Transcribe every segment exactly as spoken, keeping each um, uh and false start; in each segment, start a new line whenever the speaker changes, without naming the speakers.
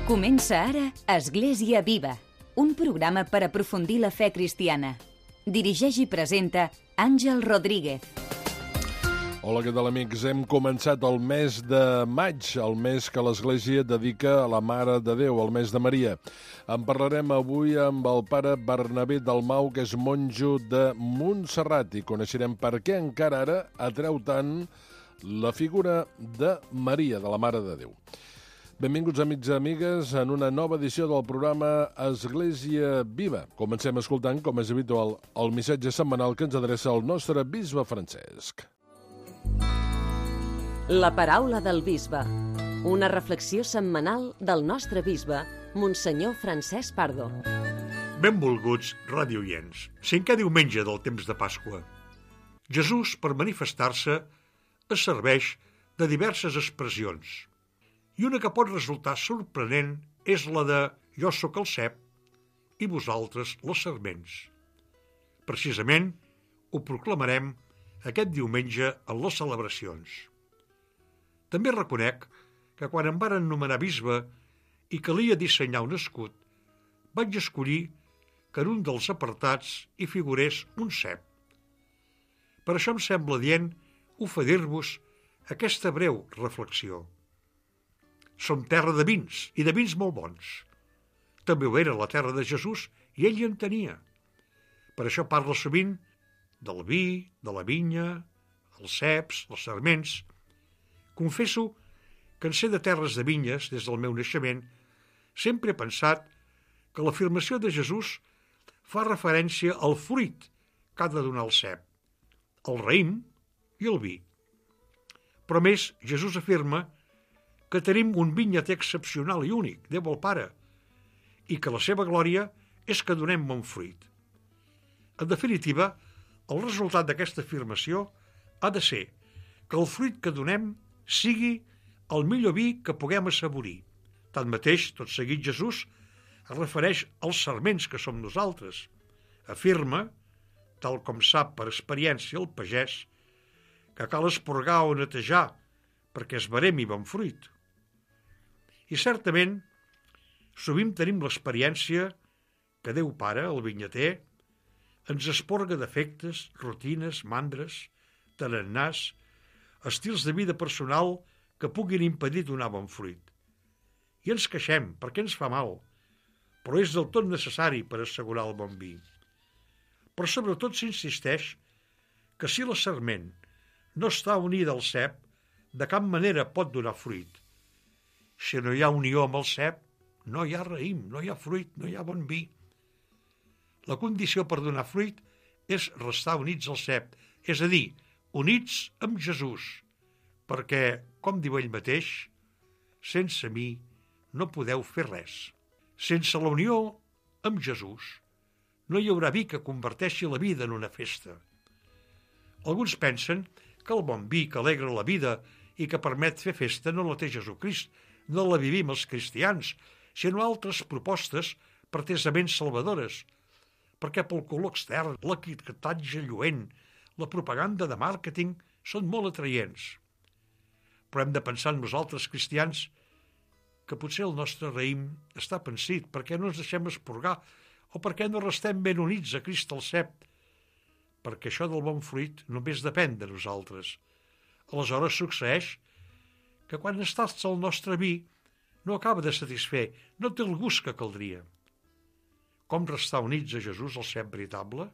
Comença ara Església Viva, un programa per aprofundir la fe cristiana. Dirigeix i presenta Àngel Rodríguez.
Hola, què tal, amics? Hem començat el mes de maig, el mes que l'Església dedica a la Mare de Déu, el mes de Maria. En parlarem avui amb el pare Bernabé Dalmau, que és monjo de Montserrat, i coneixerem per què encara ara atreu tant la figura de Maria, de la Mare de Déu. Benvinguts, amics i amigues, en una nova edició del programa Església Viva. Comencem escoltant, com és habitual, el missatge setmanal que ens adreça el nostre bisbe Francesc.
La paraula del bisbe. Una reflexió setmanal del nostre bisbe, Monsenyor Francesc Pardo.
Benvolguts radioients. Cinquè diumenge del temps de Pasqua. Jesús, per manifestar-se, es serveix de diverses expressions. I una que pot resultar sorprenent és la de «Jo sóc el cep» i vosaltres les serments. Precisament ho proclamarem aquest diumenge en les celebracions. També reconec que quan em varen nomenar bisbe i calia dissenyar un escut, vaig escollir que en un dels apartats hi figurés un cep. Per això em sembla dient oferir-vos aquesta breu reflexió. Som terra de vins, i de vins molt bons. També ho era la terra de Jesús, i ell hi en tenia. Per això parla sovint del vi, de la vinya, els ceps, els sarments. Confesso que en ser de terres de vinyes, des del meu naixement, sempre he pensat que l'afirmació de Jesús fa referència al fruit que ha de donar el cep, el raïm i el vi. Però més, Jesús afirma que tenim un vinyater excepcional i únic, Déu el Pare, i que la seva glòria és que donem bon fruit. En definitiva, el resultat d'aquesta afirmació ha de ser que el fruit que donem sigui el millor vi que puguem assaborir. Tanmateix, tot seguit Jesús es refereix als sarments que som nosaltres. Afirma, tal com sap per experiència el pagès, que cal esporgar o netejar perquè es veremi bon fruit. I certament, sovint tenim l'experiència que Déu Pare, el vinyater, ens esporga defectes, rutines, mandres, tarannàs, estils de vida personal que puguin impedir donar bon fruit. I ens queixem perquè ens fa mal, però és del tot necessari per assegurar el bon vi. Però sobretot s'insisteix que si la sarment no està unida al cep, de cap manera pot donar fruit. Si no hi ha unió amb el cep, no hi ha raïm, no hi ha fruit, no hi ha bon vi. La condició per donar fruit és restar units al cep, és a dir, units amb Jesús, perquè, com diu ell mateix, sense mi no podeu fer res. Sense la unió amb Jesús no hi haurà vi que converteixi la vida en una festa. Alguns pensen que el bon vi que alegra la vida i que permet fer festa no la té Jesucrist, no la vivim els cristians, sinó altres propostes pretesament salvadores, perquè pel color extern, l'etiquetatge lluent, la propaganda de màrqueting són molt atraients. Però hem de pensar en nosaltres cristians que potser el nostre raïm està pensit perquè no ens deixem esporgar o perquè no restem ben units a Crist al cep, perquè això del bon fruit només depèn de nosaltres. Aleshores succeeix que quan es tasta el nostre vi no acaba de satisfer, no té el gust que caldria. Com restar units a Jesús, el cep veritable?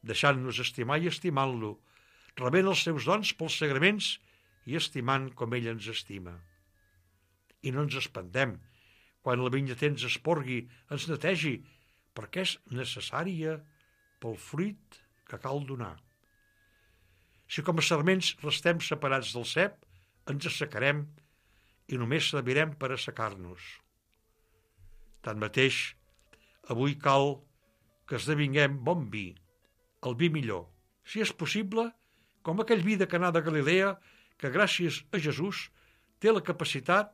Deixant-nos estimar i estimant-lo, rebent els seus dons pels sagraments i estimant com ell ens estima. I no ens espantem quan el vinyater ens esporgui, ens netegi, perquè és necessària pel fruit que cal donar. Si com a sarments restem separats del cep, ens assecarem i només servirem per assecar-nos. Tanmateix, avui cal que esdevinguem bon vi, el vi millor. Si és possible, com aquell vi de Canà de Galilea, que gràcies a Jesús té la capacitat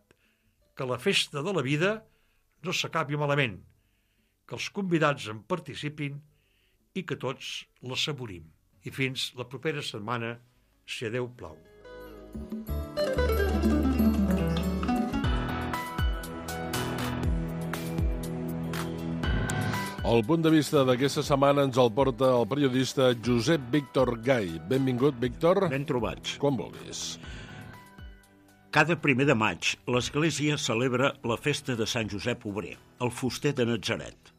que la festa de la vida no s'acabi malament, que els convidats en participin i que tots l'assaborim. I fins la propera setmana, si a Déu plau.
El punt de vista d'aquesta setmana ens el porta el periodista Josep Víctor Gai. Benvingut, Víctor.
Ben trobats.
Com vulguis.
Cada primer de maig, l'Església celebra la festa de Sant Josep Obrer, el fuster de Natzaret.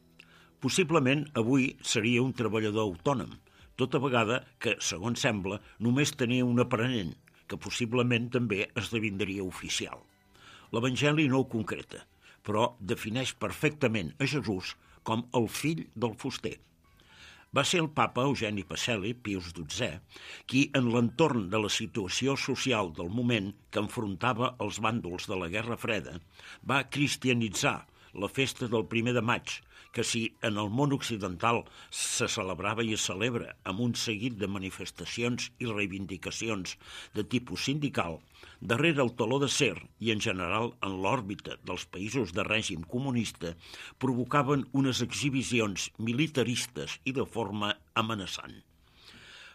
Possiblement avui seria un treballador autònom, tota vegada que, segons sembla, només tenia un aprenent, que possiblement també esdevindria oficial. L'Evangeli no ho concreta, però defineix perfectament a Jesús com el fill del fuster. Va ser el papa Eugeni Pacelli, Pius dotzè, qui, en l'entorn de la situació social del moment que enfrontava els bàndols de la Guerra Freda, va cristianitzar la festa del primer de maig, que si en el món occidental se celebrava i es celebra amb un seguit de manifestacions i reivindicacions de tipus sindical, darrere el teló d'acer i en general en l'òrbita dels països de règim comunista provocaven unes exhibicions militaristes i de forma amenaçant.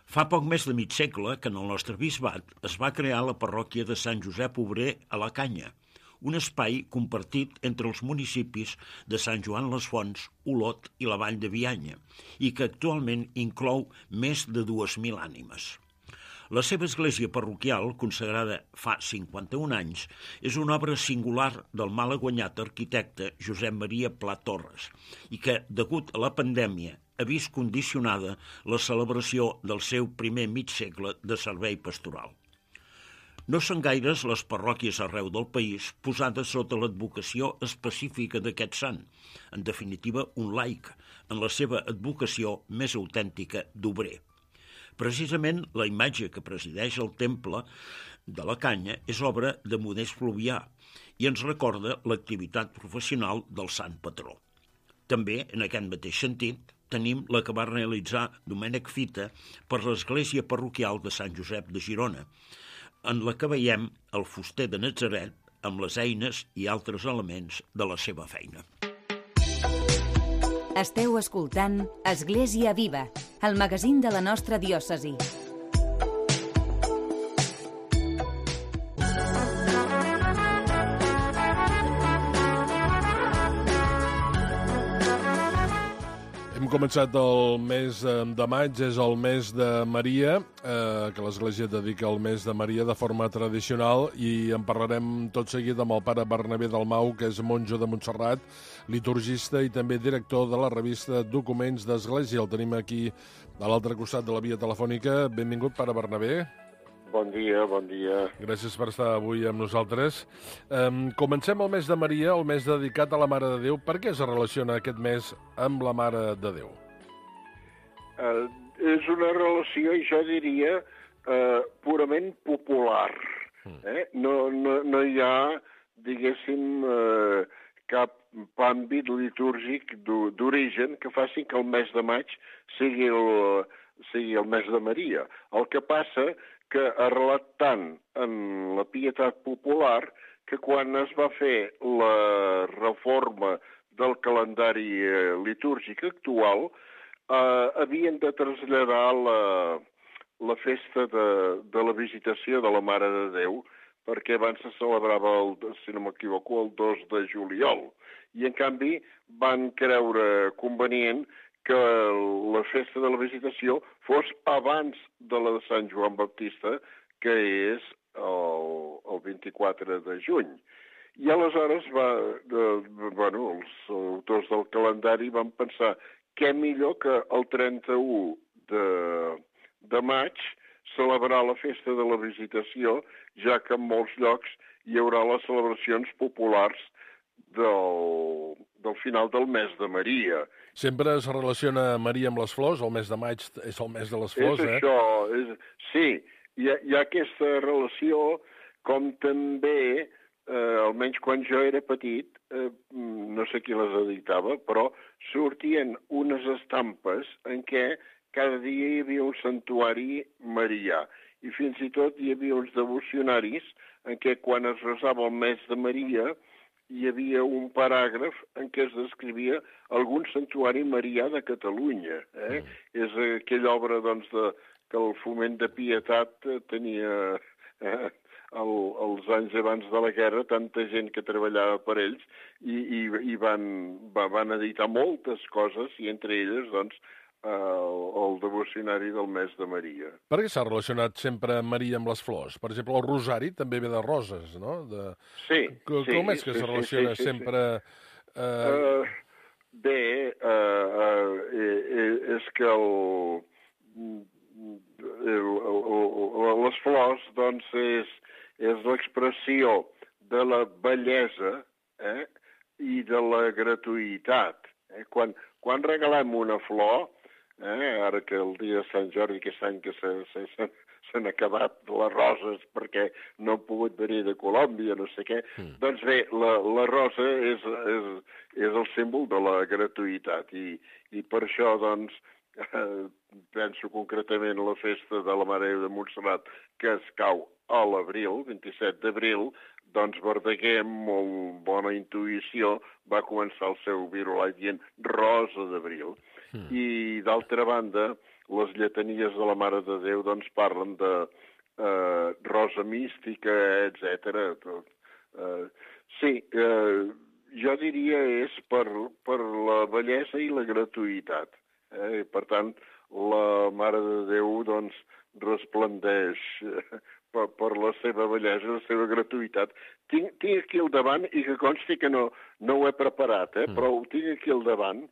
Fa poc més de mig segle que en el nostre bisbat es va crear la parròquia de Sant Josep Obrer a la Canya, un espai compartit entre els municipis de Sant Joan les Fonts, Olot i la Vall de Bianya, i que actualment inclou més de dues mil ànimes. La seva església parroquial, consagrada fa cinquanta-un anys, és una obra singular del malaguanyat arquitecte Josep Maria Pla Torres i que, degut a la pandèmia, ha vist condicionada la celebració del seu primer mig segle de servei pastoral. No són gaires les parròquies arreu del país posades sota l'advocació específica d'aquest sant, en definitiva un laic, en la seva advocació més autèntica d'obrer. Precisament la imatge que presideix el temple de la Canya és obra de Modest Fluvià i ens recorda l'activitat professional del sant patró. També, en aquest mateix sentit, tenim la que va realitzar Domènec Fita per l'església parroquial de Sant Josep de Girona, en la que veiem el fuster de Natzaret amb les eines i altres elements de la seva feina.
Esteu escoltant Església Viva, el magazín de la nostra diòcesi.
Hem començat el mes de maig, és el mes de Maria, eh, que l'Església dedica al mes de Maria de forma tradicional, i en parlarem tot seguit amb el pare Bernabé Dalmau, que és monjo de Montserrat, liturgista i també director de la revista Documents d'Església. El tenim aquí a l'altre costat de la via telefònica. Benvingut, pare Bernabé.
Bon dia, bon dia.
Gràcies per estar avui amb nosaltres. Um, comencem el mes de Maria, el mes dedicat a la Mare de Déu. Per què es relaciona aquest mes amb la Mare de Déu?
Uh, és una relació, jo diria, uh, purament popular. Eh? No, no, no hi ha, diguéssim, uh, cap àmbit litúrgic d'origen que faci que el mes de maig sigui el, sigui el mes de Maria. El que passa que ha arrelat tant en la pietat popular que quan es va fer la reforma del calendari litúrgic actual eh, havien de traslladar la, la festa de, de la visitació de la Mare de Déu, perquè abans se celebrava, el, si no m'equivoco, el dos de juliol. I, en canvi, van creure convenient que la festa de la visitació fos abans de la de Sant Joan Baptista, que és el, el vint-i-quatre de juny. I aleshores va, de, bueno, els autors del calendari van pensar què millor que el trenta-u de, de maig celebrar la festa de la visitació, ja que en molts llocs hi haurà les celebracions populars del, del final del mes de Maria.
Sempre es relaciona Maria amb les flors, el mes de maig és el mes de les flors,
és
eh?
Això, és Sí, hi ha, hi ha aquesta relació, com també, eh, almenys quan jo era petit, eh, no sé qui les editava, però sortien unes estampes en què cada dia hi havia un santuari marià. I fins i tot hi havia uns devocionaris en què quan es resava el mes de Maria hi havia un paràgraf en què es descrivia algun santuari marià de Catalunya. Eh? Mm. És aquella obra doncs, de, que el Foment de Pietat tenia eh, el, els anys abans de la guerra, tanta gent que treballava per ells, i, i, i van, van editar moltes coses, i entre elles, doncs, el, el devocionari del mes de Maria.
Per què s'ha relacionat sempre Maria amb les flors? Per exemple, el rosari també ve de roses, no? De...
Sí,
Com
sí.
Com és que
sí,
se relaciona
sí, sí,
sempre...
Sí. Uh... Uh, bé, uh, uh, és que el, el, el, les flors, doncs, és, és l'expressió de la bellesa, eh, i de la gratuïtat. Eh? Quan, quan regalem una flor, eh, ara que el dia de Sant Jordi, aquest any que s'han acabat les roses perquè no han pogut venir de Colòmbia, no sé què, mm. doncs bé, la, la rosa és, és, és el símbol de la gratuïtat, i, i per això, doncs, eh, penso concretament a la festa de la Mare de Montserrat, que es cau a l'abril, vint-i-set d'abril, doncs Verdaguer, amb molt bona intuïció, va començar el seu virolat dient Rosa d'Abril. Mm. I, d'altra banda, les lletanies de la Mare de Déu doncs parlen de eh, rosa mística, etcètera. Eh, sí, eh, jo diria és per, per la bellesa i la gratuïtat. Eh? Per tant, la Mare de Déu doncs resplendeix per, per la seva bellesa, la seva gratuïtat. Tinc, tinc aquí al davant, i que consti que no, no ho he preparat, eh? mm. però ho tinc aquí al davant,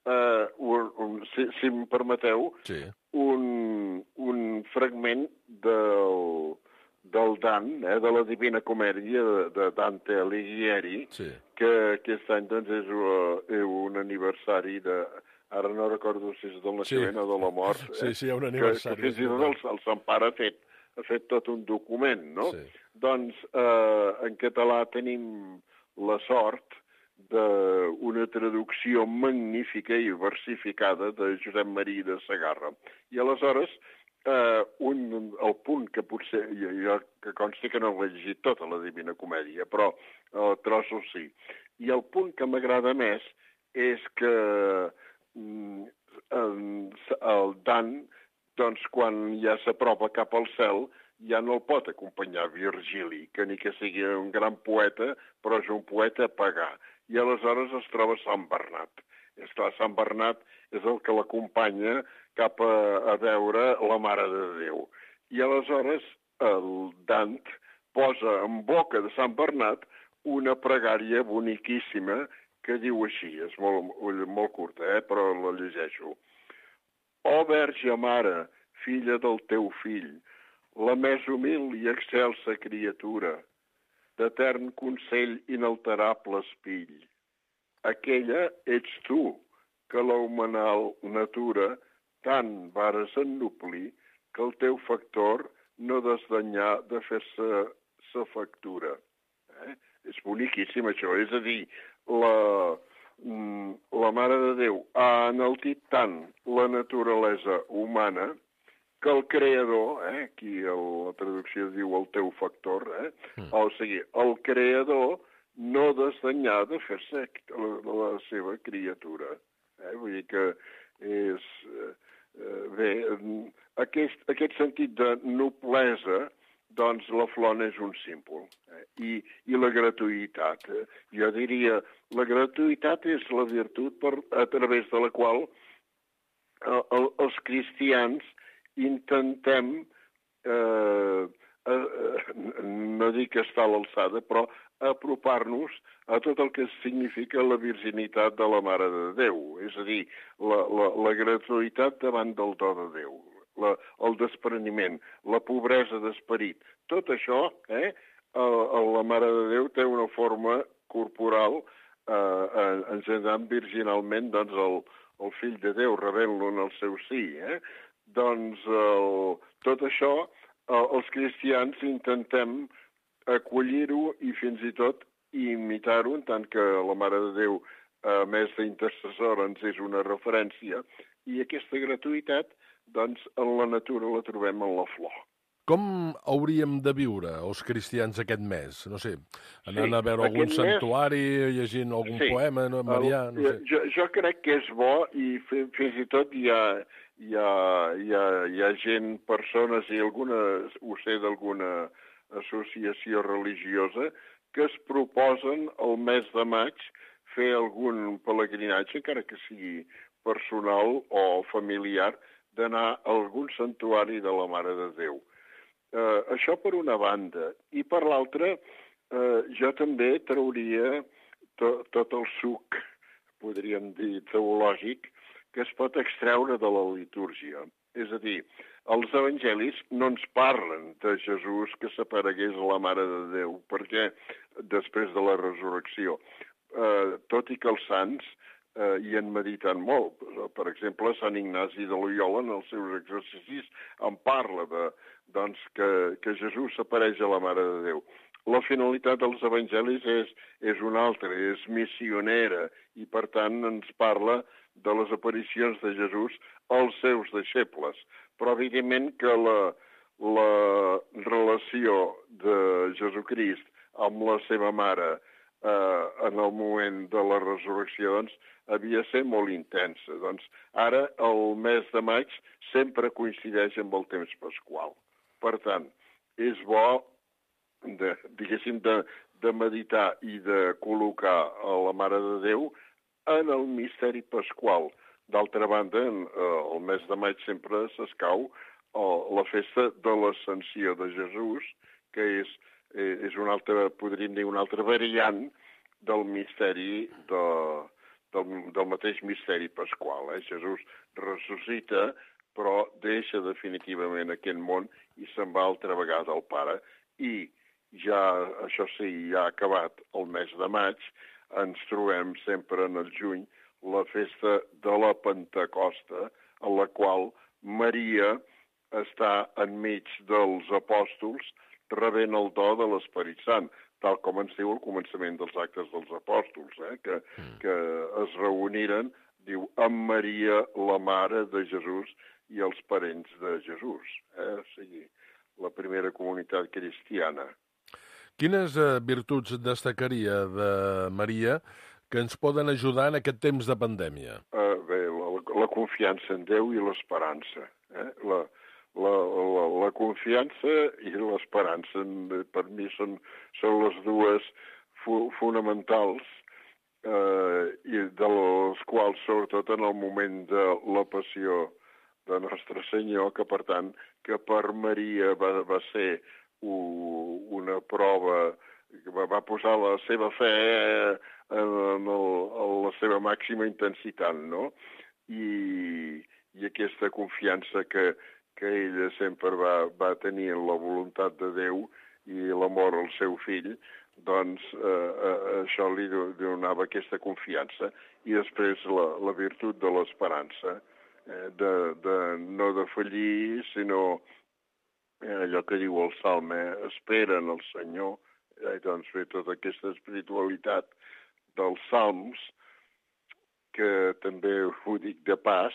eh, un, un, si, si em permeteu, sí. un, un fragment del, del Dan, eh, de la Divina Comèdia de, de Dante Alighieri, sí. que aquest any doncs, és uh, un aniversari de... Ara no recordo si és del naixement sí. o de la mort. Eh?
Sí, sí, hi ha un aniversari.
Que, que fins i tot el, el Sant Pare ha fet, ha fet tot un document, no? Sí. Doncs eh, en català tenim la sort d'una traducció magnífica i versificada de Josep Maria de Segarra. I aleshores, eh, un, el punt que potser, jo, jo que consti que no l'he llegit tota la Divina Comèdia, però eh, trossos sí. I el punt que m'agrada més és que el Dan, doncs, quan ja s'apropa cap al cel, ja no el pot acompanyar Virgili, que ni que sigui un gran poeta, però és un poeta a pagar. I aleshores es troba Sant Bernat. És clar, Sant Bernat és el que l'acompanya cap a, a veure la Mare de Déu. I aleshores el Dant posa en boca de Sant Bernat una pregària boniquíssima que diu així, és molt, molt curta, eh? però la llegeixo. Ó Verge Mare, filla del teu fill, la més humil i excelsa criatura, d'etern consell inalterable espill. Aquella ets tu, que la humanal natura tant vares ennuplir que el teu factor no desdanyà de fer-se sa factura. Eh? És boniquíssim això, és a dir, la, la Mare de Déu ha enaltit tant la naturalesa humana que el Creador, eh, aquí la traducció diu el teu factor, eh, mm. o sigui, el Creador no desdanyà de fer-se la, la seva criatura. Eh? Vull dir que és... Eh, bé, aquest, aquest sentit de noblesa, doncs la flor és un símbol. Eh? I, I la gratuïtat. Eh? Jo diria, la gratuïtat és la virtut per, a través de la qual eh, el, els cristians intentem, eh, eh, no dic estar a l'alçada, però apropar-nos a tot el que significa la virginitat de la Mare de Déu. És a dir, la, la, la gratuïtat davant del do de Déu. La, el despreniment, la pobresa d'esperit. Tot això, eh, a, a la Mare de Déu té una forma corporal, eh, engendrant virginalment doncs, el, el fill de Déu, rebent-lo en el seu sí. Eh? Doncs el, tot això, el, els cristians intentem acollir-ho i fins i tot imitar-ho, en tant que la Mare de Déu, a més d'intercessora, ens és una referència, i aquesta gratuïtat doncs en la natura la trobem en la flor.
Com hauríem de viure els cristians aquest mes? No sé, anant sí, a veure algun santuari, mes... llegint algun sí, poema, no, Marià, no sé.
Jo, jo crec que és bo i fins i tot hi ha, hi ha, hi ha, hi ha gent, persones, i algunes, ho sé d'alguna associació religiosa que es proposen el mes de maig fer algun pelegrinatge, encara que sigui personal o familiar, d'anar a algun santuari de la Mare de Déu. Eh, això per una banda. I per l'altra, eh, jo també trauria to, tot el suc, podríem dir, teològic, que es pot extreure de la litúrgia. És a dir, els evangelis no ens parlen de Jesús que s'aparegués a la Mare de Déu, perquè després de la resurrecció, eh, tot i que els sants eh, hi han meditat molt. Per exemple, Sant Ignasi de Loyola, en els seus exercicis, en parla de, doncs, que, que Jesús s'apareix a la Mare de Déu. La finalitat dels evangelis és, és una altra, és missionera, i per tant ens parla de les aparicions de Jesús als seus deixebles. Però evidentment que la, la relació de Jesucrist amb la seva mare eh, en el moment de la resurrecció, doncs, havia de ser molt intensa. Doncs ara, el mes de maig, sempre coincideix amb el temps pasqual. Per tant, és bo, de, diguéssim, de, de meditar i de col·locar a la Mare de Déu en el misteri pasqual. D'altra banda, en, eh, el mes de maig sempre s'escau eh, la festa de l'Ascensió de Jesús, que és, eh, és una altra, podríem dir, una altra variant del misteri de, del, del mateix misteri pasqual. Eh? Jesús ressuscita, però deixa definitivament aquest món i se'n va altra vegada al Pare. I ja, això sí, ja ha acabat el mes de maig, ens trobem sempre en el juny la festa de la Pentecosta, en la qual Maria està enmig dels apòstols rebent el do de l'Esperit Sant, tal com ens diu el començament dels actes dels apòstols, eh? que, que es reuniren, diu, amb Maria, la mare de Jesús, i els parents de Jesús. Eh? O sigui, la primera comunitat cristiana.
Quines eh, virtuts destacaria de Maria que ens poden ajudar en aquest temps de pandèmia?
Uh, bé, la, la confiança en Déu i l'esperança. Eh? La, la, la, la confiança i l'esperança, per mi, són, són les dues fu fonamentals, eh, i de les quals, sobretot en el moment de la passió de Nostre Senyor, que per tant, que per Maria va, va ser una prova, que va posar la seva fe en, el, en la seva màxima intensitat, no? I, i aquesta confiança que, que ella sempre va, va tenir en la voluntat de Déu i l'amor al seu fill, doncs eh, eh, això li donava aquesta confiança. I després la, la virtut de l'esperança, eh, de, de no defallir, sinó allò que diu el Salme, espera en el Senyor, eh, doncs bé, tota aquesta espiritualitat dels Salms, que també ho dic de pas,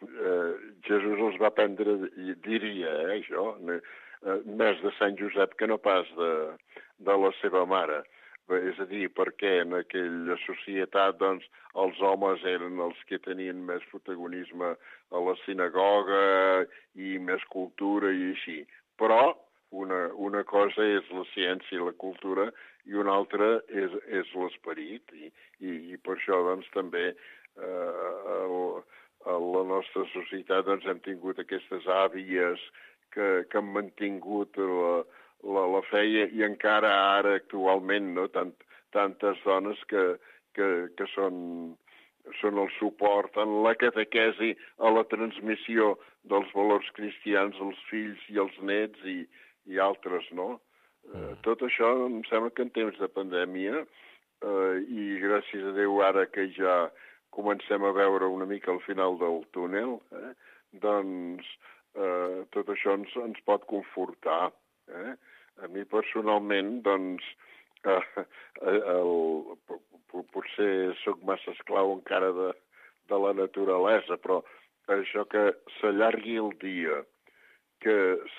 eh, Jesús els va prendre, diria, eh, això, eh, més de Sant Josep que no pas de, de la seva mare. Bé, és a dir, perquè en aquella societat, doncs, els homes eren els que tenien més protagonisme a la sinagoga i més cultura i així. Però una, una cosa és la ciència i la cultura i una altra és, és l'esperit. I, i, I per això, doncs, també eh, el, a la nostra societat doncs, hem tingut aquestes àvies que, que han mantingut la, la, la fe i, i encara ara, actualment, no? Tant, tantes dones que, que, que són... són el suport en la catequesi, a la transmissió dels valors cristians als fills i als nets i, i altres, no? Mm. Eh, tot això em sembla que en temps de pandèmia, eh, i gràcies a Déu ara que ja comencem a veure una mica al final del túnel, eh, doncs eh, tot això ens, ens pot confortar. Eh? A mi personalment, doncs, eh, el... potser sóc massa esclau encara de, de la naturalesa, però això que s'allargui el dia, que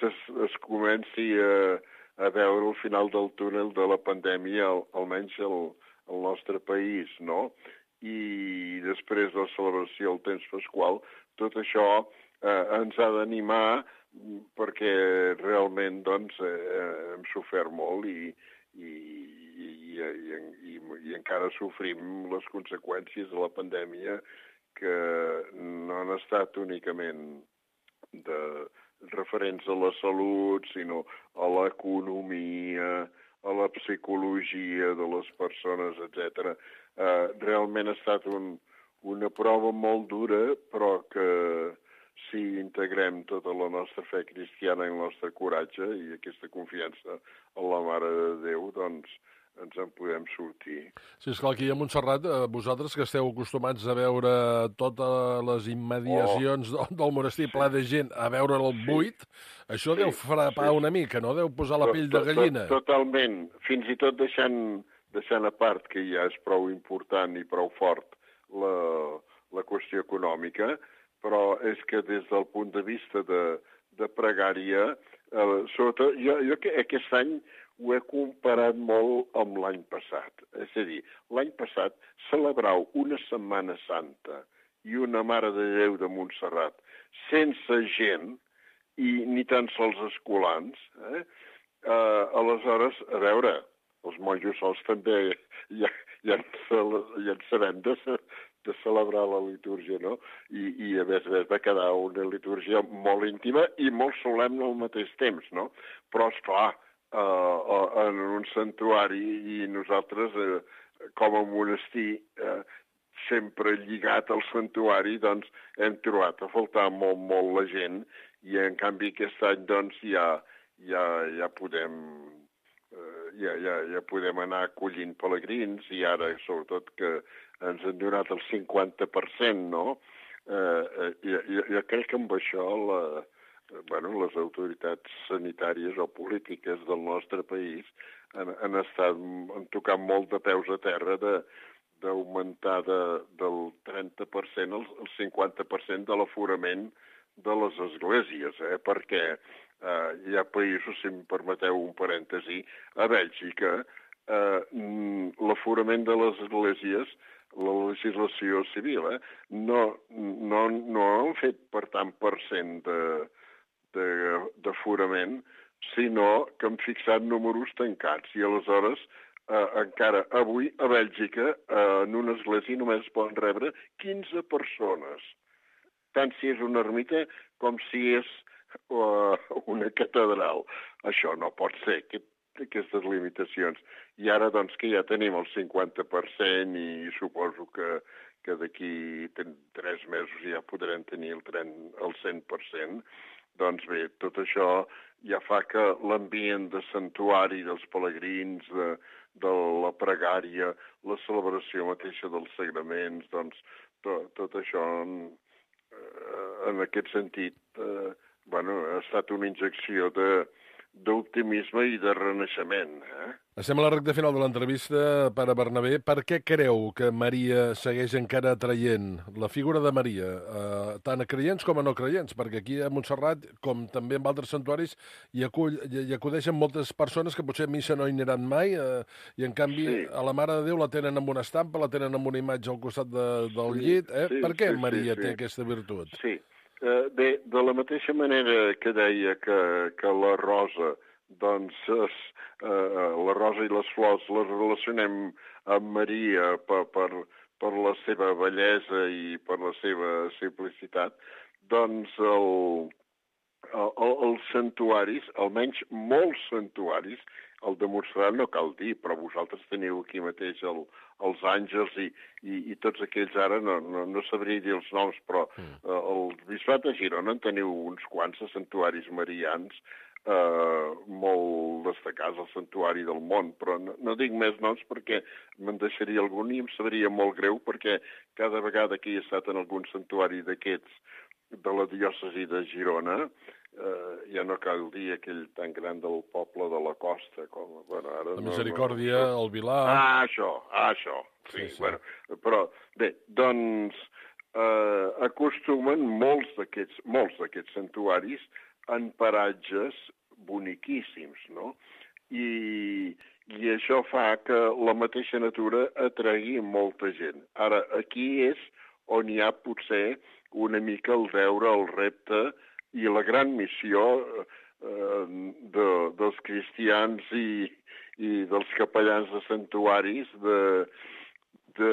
es, es comenci a, a veure el final del túnel de la pandèmia, al, almenys al, al nostre país, no? I després de la celebració del temps pasqual, tot això eh, ens ha d'animar perquè realment doncs, eh, hem sofert molt i, i, i, i, i, i encara sofrim les conseqüències de la pandèmia que no han estat únicament de referents a la salut, sinó a l'economia, a la psicologia de les persones, etcètera. Eh, realment ha estat un, una prova molt dura, però que si integrem tota la nostra fe cristiana i el nostre coratge i aquesta confiança en la Mare de Déu, doncs ens en podem sortir.
Sí, esclar, aquí a Montserrat, eh, vosaltres que esteu acostumats a veure totes les immediacions oh. del monestir ple de gent, a veure el buit, sí. això sí, deu frapar sí. una mica, no? Deu posar la pell de gallina.
Totalment. Fins i tot deixant, deixant a part que ja és prou important i prou fort la, la qüestió econòmica, però és que des del punt de vista de, de pregària, eh, sobretot, jo, jo aquest any ho he comparat molt amb l'any passat. És a dir, l'any passat celebrar una Setmana Santa i una Mare de Déu de Montserrat sense gent i ni tan sols escolans, eh? Eh, aleshores, a veure, els monjos sols també ja, ja, ja en sabem de, de celebrar la litúrgia, no? I, i a més a més va quedar una litúrgia molt íntima i molt solemne al mateix temps, no? Però, esclar, Uh, en un santuari i nosaltres, uh, com a monestir, uh, sempre lligat al santuari, doncs hem trobat a faltar molt, molt la gent i en canvi aquest any doncs ja, ja, ja podem uh, ja, ja, ja podem anar acollint pelegrins i ara sobretot que ens han donat el cinquanta per cent, no? Uh, jo, jo, jo crec que amb això la Bueno, les autoritats sanitàries o polítiques del nostre país han, han estat han tocat molt de peus a terra de, d'augmentar de, del trenta per cent al, al cinquanta per cent de l'aforament de les esglésies, eh? Perquè eh, hi ha països, si em permeteu un parèntesi, a Bèlgica, eh, l'aforament de les esglésies, la legislació civil, eh, no, no, no han fet per tant per cent de d'aforament, sinó que han fixat números tancats. I aleshores, eh, encara avui, a Bèlgica, eh, en una església només es poden rebre quinze persones. Tant si és una ermita com si és uh, una catedral. Això no pot ser, aquest, aquestes limitacions. I ara, doncs, que ja tenim el cinquanta per cent i suposo que, que d'aquí tres mesos ja podrem tenir el, el cent per cent, doncs bé, tot això ja fa que l'ambient de santuari dels pelegrins, de, de la pregària, la celebració mateixa dels sagraments, doncs to, tot això en, en aquest sentit eh, bueno, ha estat una injecció de, d'optimisme i de renaixement. Eh?
Estem a la recta final de l'entrevista, Pare Bernabé. Per què creu que Maria segueix encara atraient la figura de Maria, eh, tant a creients com a no creients? Perquè aquí a Montserrat, com també en altres santuaris, hi, acull, hi acudeixen moltes persones que potser a missa no hi aniran mai, eh, i en canvi sí. a la Mare de Déu la tenen amb una estampa, la tenen amb una imatge al costat de, del sí, llit. Eh? Sí, per què sí, Maria sí, sí. té aquesta virtut?
Sí, uh, bé, de la mateixa manera que deia que, que la rosa, doncs es, eh, la rosa i les flors les relacionem amb Maria per, per, per la seva bellesa i per la seva simplicitat, doncs el, el, els santuaris, almenys molts santuaris, el de Montserrat no cal dir, però vosaltres teniu aquí mateix el, els àngels i, i, i tots aquells ara, no, no, no sabria dir els noms, però mm. eh, el Bisbat de Girona en teniu uns quants de santuaris marians, Uh, molt destacats al santuari del món, però no, no dic més noms perquè me'n deixaria algun i em sabria molt greu perquè cada vegada que he estat en algun santuari d'aquests de la diòcesi de Girona, uh, ja no cal dir aquell tan gran del poble de la Costa. Com, bueno, ara
la Misericòrdia, no, no, el Vilar...
Ah, això, ah, això. Sí, sí, sí. Bueno, però bé, doncs uh, acostumen molts d'aquests molts d'aquests santuaris en paratges boniquíssims, no? I, i això fa que la mateixa natura atregui molta gent. Ara, aquí és on hi ha potser una mica el deure, el repte i la gran missió eh, de, dels cristians i, i dels capellans de santuaris de, de,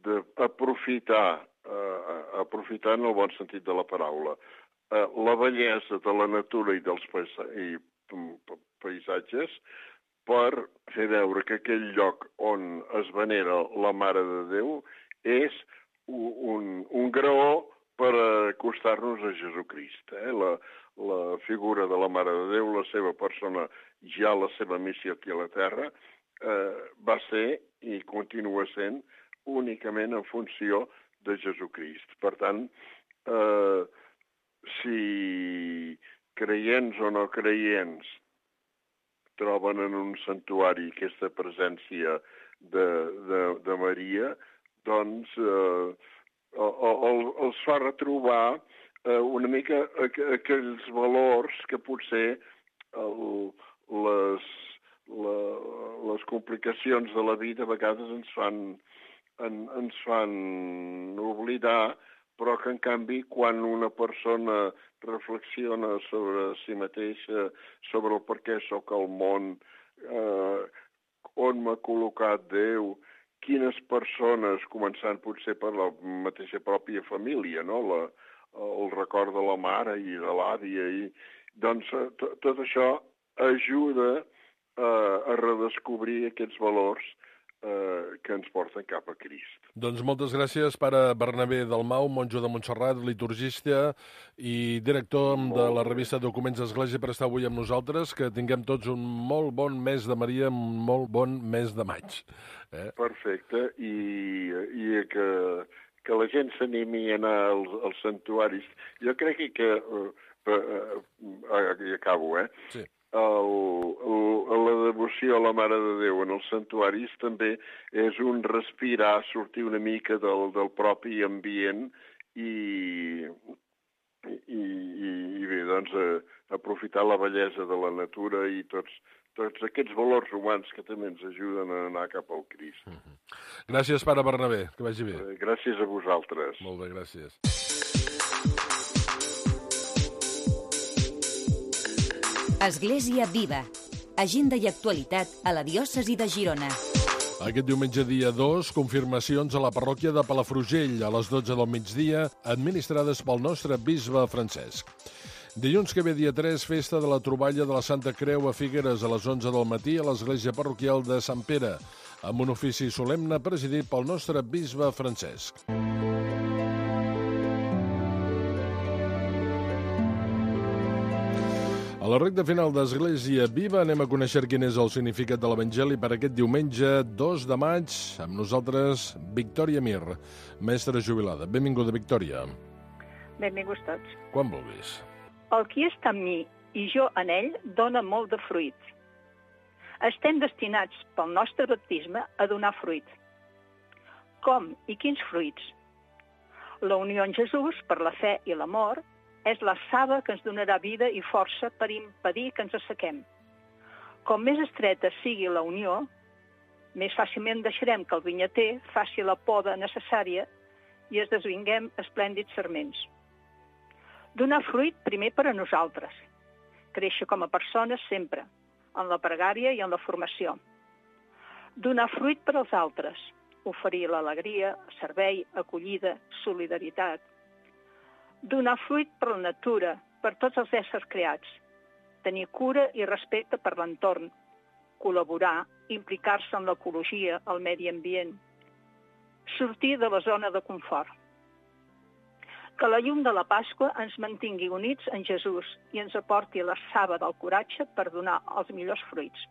de aprofitar, eh, aprofitar en el bon sentit de la paraula, eh, la bellesa de la natura i dels paisa i, paisatges per fer veure que aquell lloc on es venera la Mare de Déu és un, un graó per acostar-nos a Jesucrist. Eh? La, la figura de la Mare de Déu, la seva persona, ja la seva missió aquí a la Terra, eh, va ser i continua sent únicament en funció de Jesucrist. Per tant, eh, si creients o no creients troben en un santuari aquesta presència de, de, de Maria, doncs eh, el, els fa retrobar eh, una mica aquells valors que potser el, les, la, les complicacions de la vida a vegades ens fan, en, ens fan oblidar, però que, en canvi, quan una persona reflexiona sobre si mateixa, sobre el per què sóc al món, eh, on m'ha col·locat Déu, quines persones, començant potser per la mateixa pròpia família, no? la, el record de la mare i de l'àvia, i doncs tot això ajuda eh, a redescobrir aquests valors eh, que ens porten cap a Crist.
Doncs moltes gràcies, pare Bernabé Dalmau, monjo de Montserrat, liturgista i director de la revista Documents d'Església, per estar avui amb nosaltres. Que tinguem tots un molt bon mes de Maria, un molt bon mes de maig. Eh? Perfecte,
i, i que, que la gent s'animi a anar als, als santuaris. Jo crec que, eh, eh, eh, acabo, eh? Sí. El, el, la devoció a la Mare de Déu en els santuaris també és un respirar, sortir una mica del, del propi ambient i, i, i bé, doncs, eh, aprofitar la bellesa de la natura i tots, tots aquests valors humans que també ens ajuden a anar cap al Crist.
Mm-hmm. Gràcies, pare Bernabé, que vagi bé.
Eh, gràcies a vosaltres.
Molt bé, gràcies.
Església Viva. Agenda i actualitat a la diòcesi de Girona.
Aquest diumenge dia dos, confirmacions a la parròquia de Palafrugell a les dotze del migdia, administrades pel nostre bisbe Francesc. Dilluns que ve dia tres, festa de la troballa de la Santa Creu a Figueres a les onze del matí a l'església parroquial de Sant Pere, amb un ofici solemne presidit pel nostre bisbe Francesc. A la recta final d'Església Viva anem a conèixer quin és el significat de l'Evangeli per aquest diumenge dos de maig. Amb nosaltres, Victòria Mir, mestra jubilada. Benvinguda, Victòria.
Benvinguts tots.
Quan vulguis.
El qui està en mi i jo en ell dona molt de fruit. Estem destinats pel nostre baptisme a donar fruit. Com i quins fruits? La unió en Jesús per la fe i l'amor és la saba que ens donarà vida i força per impedir que ens assequem. Com més estreta sigui la unió, més fàcilment deixarem que el vinyater faci la poda necessària i es desvinguem esplèndids sarments. Donar fruit primer per a nosaltres, créixer com a persones sempre, en la pregària i en la formació. Donar fruit per als altres, oferir l'alegria, servei, acollida, solidaritat. Donar fruit per la natura, per tots els éssers creats, tenir cura i respecte per l'entorn, col·laborar, implicar-se en l'ecologia, el medi ambient, sortir de la zona de confort. Que la llum de la Pasqua ens mantingui units en Jesús i ens aporti la saba del coratge per donar els millors fruits.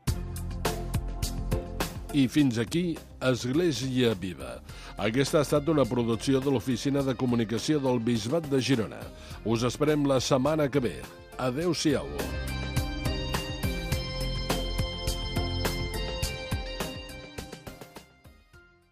I fins aquí, Església Viva. Aquesta ha estat una producció de l'Oficina de Comunicació del Bisbat de Girona. Us esperem la setmana que ve. Adéu-siau.